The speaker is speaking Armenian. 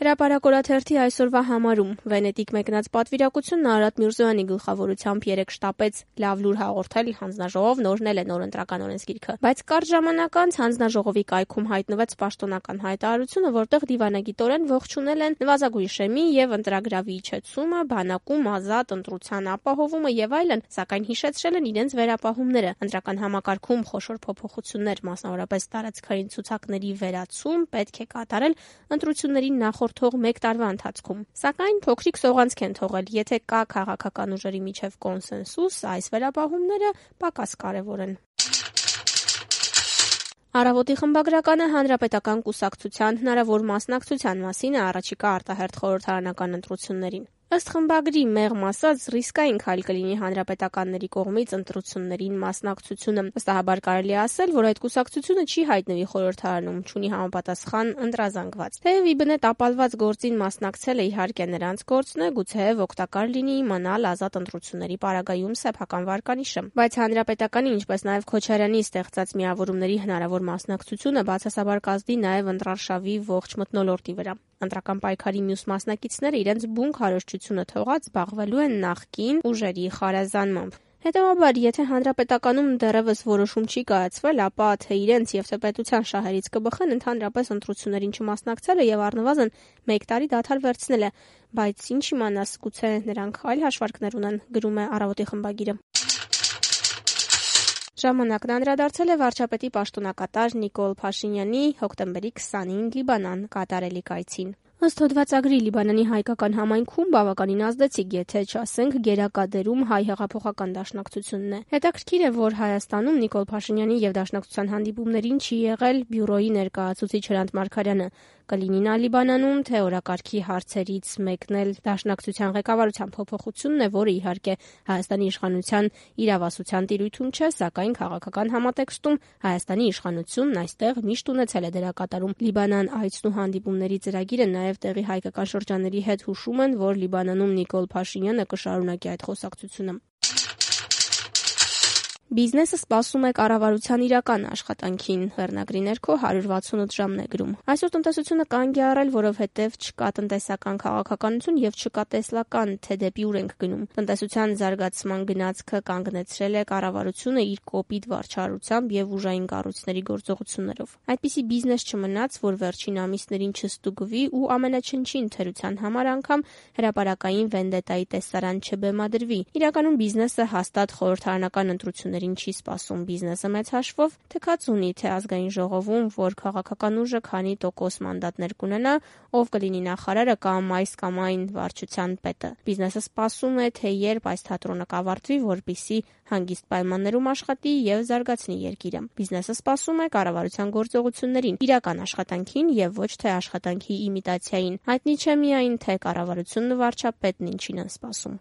Հրապարակորաթերթի այսօրվա համարում Վենետիկ մեկնած պատվիրակությունն Արարատ Միրզոյանի գլխավորությամբ երեկ շտապեց լավ լուր հաղորդել հանձնաժողով նորնել է նոր ընտրական օրենսգիրքը։ Բայց կարճ ժամանակ անց հանձնաժողովի կայքում հայտնվեց պաշտոնական հայտարարությունը, որտեղ դիվանագիտորեն ողջունել են նվազագույն շեմի եւ ընտրագրավի իջեցումը, բանակում ազատ ընտրության ապահովումը եւ այլն, սակայն հիշեցրել են իրենց վերապահումները։ Ընտրական համակարգում խոշոր փոփոխություններ, մասնավորապես տարածքային ցուցակների վերացում պետք է կատարել ընտրություններին նախորդող 1 տարվա ընթացքում։ Սակայն փոքրիկ սողանցք են թողել, եթե կա քաղաքական ուժերի միջև կոնսենսուս, այս վերապահումները պակաս կարևոր են։ Առավոտի խմբագրականը Հանրապետական կուսակցության հնարավոր մասնակցության մասին է առաջիկա արտահերթ խորհրդարանական ընտրություններին։ Ըստ խմբագրի մեղմ ասած ռիսկային քայլ կլինի հանրապետականների կողմից ընտրություններին մասնակցությունը։ Վստահաբար կարելի է ասել, որ այդ կուսակցությունը չի հայտնվի խորհրդարանում, չունի համապատասխան ընտրազանգված։ Թեև իբնե տապալված գործին մասնակցելը իհարկե նրանց գործն է, գուցեև օգտակար լինի իմանալ ազատ ընտրությունների պարագայում սեփական վարկանիշը։ Բայց հանրապետականի, ինչպես նաև Քոչարյանի ստեղծած միավորումների հնարավոր մասնակցությունը բացասաբար կազդի նաև ընտրարշավի ողջ մթնոլորտի վրա։ Ընտրական պայքարի մյուս մասնակիցները իրենց բուն քարոզչությունը թողած զբաղվելու են նախկին ուժերի խարազանմամբ։ Հետևաբար, եթե հանրապետականում դեռևս որոշում չի կայացվել, ապա թե իրենց եւ թե պետության շահերից կբխեն ընդհանրապես ընտրություններին չմասնակցելը եւ առնվազն 1 տարի դադար վերցնելը, բայց ինչ իմանաս, գուցե նրանք այլ հաշվարկներ ունեն, գրում է Առավոտի խմբագիրը։ Ժամանակն անդրադարձել է վարչապետի պաշտոնակատար Նիկոլ Փաշինյանի հոկտեմբերի 20-ին Լիբանան կատարելիք այցին։ Ըստ հոդվածագրի Լիբանանի հայկական համայնքում բավականին ազդեցիկ, եթե չասենք գերակա դերում հայ հեղափոխական դաշնակցությունն է։ Հետաքրքիր է, որ Հայաստանում Նիկոլ Փաշինյանի եւ դաշնակցության հանդիպումներին չի եղել բյուրոյի ներկայացուցիչ Հրանտ Մարգարյանը։ Կլինի նա Լիբանանում, թե օրակարգի հարցերից մեկն էլ դաշնակցության ղեկավարության փոփոխությունն է, որը իհարկե Հայաստանի իշխանության իրավասության տիրույթում չէ, սակայն քաղաքական համատեքստում Հայաստանի իշխանությունն այստեղ միշտ ունեցել է դերակատարում։ Լիբանան այցն ու հանդիպումների ծրագիրը նաև տեղի հայկական շրջանների հետ հուշում են, որ Լիբանանում Նիկոլ Փաշինյանը կշարունակի այդ խոսակցությունը։ Բիզնեսը սպասում է կառավարության իրական աշխատանքին, վերնագրի ներքո 168 ժամն է գրում։ Այսօր տնտեսությունը կանգ է առել, որովհետև չկա տնտեսական քաղաքականություն եւ չկա տեսլական, թե դեպի ուր ենք գնում։ Տնտեսության զարգացման գնացքը կանգնեցրել է կառավարությունը իր կոպիտ վարչարությամբ եւ ուժային կառույցների գործողություններով։ Այդպիսի բիզնես չմնաց, որ վերջին ամիսներին չստուգվի ու ամենաչնչին թերության համար անգամ հրապարակային վենդետայի տեսարան չբեմադրվի։ Իրականում բիզնեսը հաստատ խորհրդարանական ընտրություններ չի սպասում, բիզնեսը մեծ հաշվով թքած ունի թե ազգային ժողովում, որ քաղաքական ուժը քանի տոկոս մանդատներ կունենա, ով կլինի նախարարը կամ այս կամ այն վարչության պետը։ Բիզնեսը սպասում է, թե երբ այս թատրոնը կավարտվի, որպեսզի հանգիստ պայմաններում աշխատի եւ զարգացնի երկիրը։ Բիզնեսը սպասում է կառավարության գործողություններին, իրական աշխատանքին եւ ոչ թե աշխատանքի իմիտացիային։ Հայտնի չէ միայն, թե կառավարությունն ու վարչապետն ինչին են սպասում։